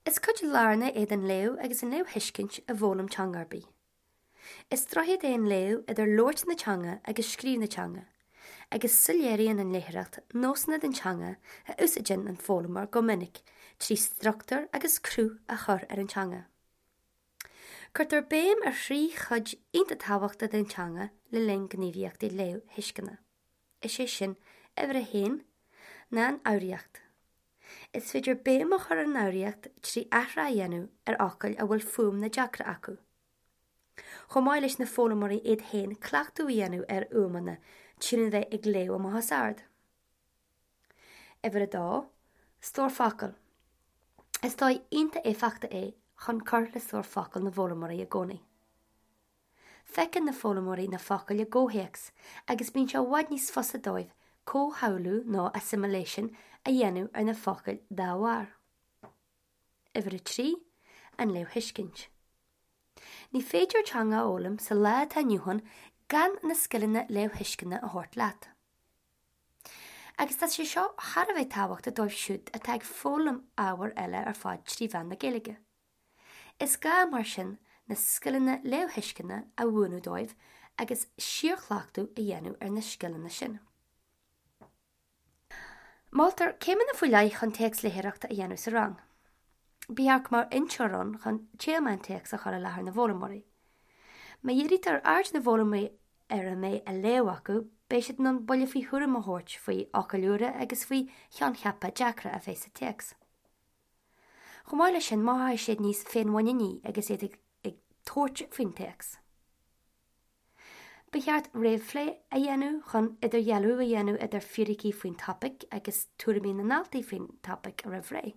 Is cuid lárnach é den léamh agus an léamhthuiscint i bhfoghlaim teanga ar bith. Is droichead é an léamh idir labhairt na teanga agus scríobh na teanga, agus soiléiríonn an léitheoireacht nósanna den teanga a úsáideann an foghlaimeoir go minic trí struchtúr agus cruth a chur ar an teanga. Cuirtear béim ar thrí chuid iontach tábhachtacha den teanga le linn gníomhaíochtaí léamhthuisceana, is é sin, uimhir a haon, ná an fhoghraíocht. Is féidir béim a chur ar an fhoghraíocht trí athrá a dhéanamh ar fhocail a bhfuil fuaimeanna deacra acu. Chomh maith leis na foghlaimeoirí iad féin cleachtadh a dhéanamh ar fhuaimeanna trína bheith ag léamh amach os ard. Uimhir a dó, stór focal. Is dóigh iontach éifeachtach é chun cur le stór focal na bhfoghlaimeoirí i gcónaí. Feiceann na foghlaimeoirí na focail i gcomhthéacs agus bíonn sé i bhfad níos fusa dóibh comhshamhlú nó assimilation a dhéanamh ar na focail dá bharr. Uimhir a 3, An léamhthuiscint. Ní féidir teanga a fhoghlaim sa lá atá inniu ann gan na scileanna léamhthuisceana a thabhairt leat. Agus tá sé seo thar a bheith tábhachtach dóibh siúd atá ag foghlaim ábhair eile ar fad trí mheán na Gaeilge. Is gá, mar sin, na scileanna léamhthuisceana a mhúineadh dóibh agus síorchleachtadh a dhéanamh ar na scileanna sin. Moltar céimeanna faoi leith chun téacs léitheoireachta a dhéanamh sa rang. Ba cheart go mbeadh inseoir ann chun téama an téacs a chur i láthair na bhfoghlaimeoirí. Má dhírítear aird na bhfoghlaimeoirí ar a mbeidh á léamh acu, beidh siad in ann buille faoi thuairim a thabhairt faoi fhocail úra agus faoi choincheapa deacra a bheith sa téacs. Chomh maith leis sin, mothóidh siad níos féinmhuiníní agus iad ag tabhairt faoin téacs. Ba cheart réamhphlé a dhéanamh chun idirdhealú a dhéanamh idir fíricí faoin topaic agus tuairimí na ndaltaí faoin topaic roimh ré.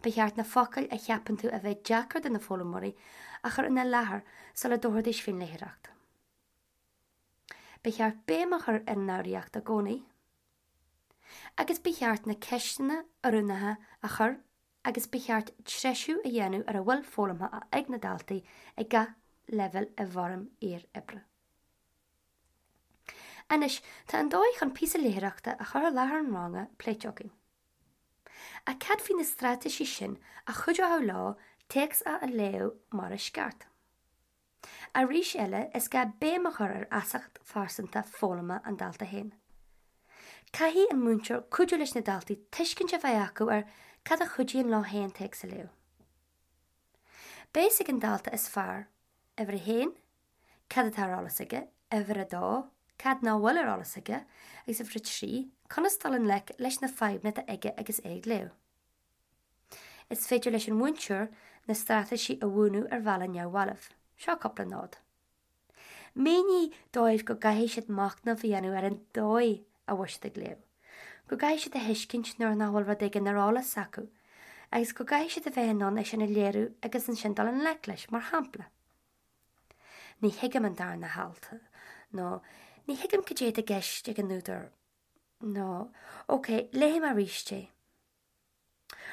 Ba cheart na focail a cheapann tú a bheith deacair do na foghlaimeoirí a chur ina láthair sula dtabharfaidís faoin léitheoireacht. Ba cheart béim a chur ar an fhoghraíocht i gcónaí. Agus ba cheart na ceisteanna oiriúnacha a chur agus ba cheart treisiú a dhéanamh ar a bhfuil foghlamtha ag na daltaí ag gach leibhéal i bhfoirm iar-oibre. Anois, tá an dóigh chun píosa léitheoireachta a chur i láthair an ranga pléite againn. Ach cad faoi na straitéisí sin a chuideoidh leo téacs a léamh mar is ceart? Arís eile, is gá béim a chur ar fheasacht phearsanta foghlama an dalta féin. Caithfidh an múinteoir cuidiú leis na daltaí tuiscint a bheith acu ar cad a chuidíonn leo féin téacs a léamh. Beidh a fhios ag an dalta is fearr, uimhir a haon, cad atá ar eolas aige, uimhir a dó, cad nach bhfuil ar eolas aige, agus uimhir a 3, conas dul i ngleic leis na fadhbanna atá aige agus é ag léamh. Is féidir leis an mhúinteoir na straitéisí a mhúineadh ar bhealach neamhbhalbh. Seo cúpla nod. Mínigh dóibh go gcaithfidh siad machnamh a dhéanamh ar an dóigh a bhfuil siad ag léamh, go gcaithfidh siad a thuiscint nuair nach bhfuil rud éigin ar eolas acu, agus go gcaithfidh siad a bheith in ann é sin a léiriú agus ansin dul i ngleic leis, mar shampla, Ní thuigim an darna halt, nó Ní thuigim cad é atá i gceist ag an údar, nó Ok, léifidh mé arís é.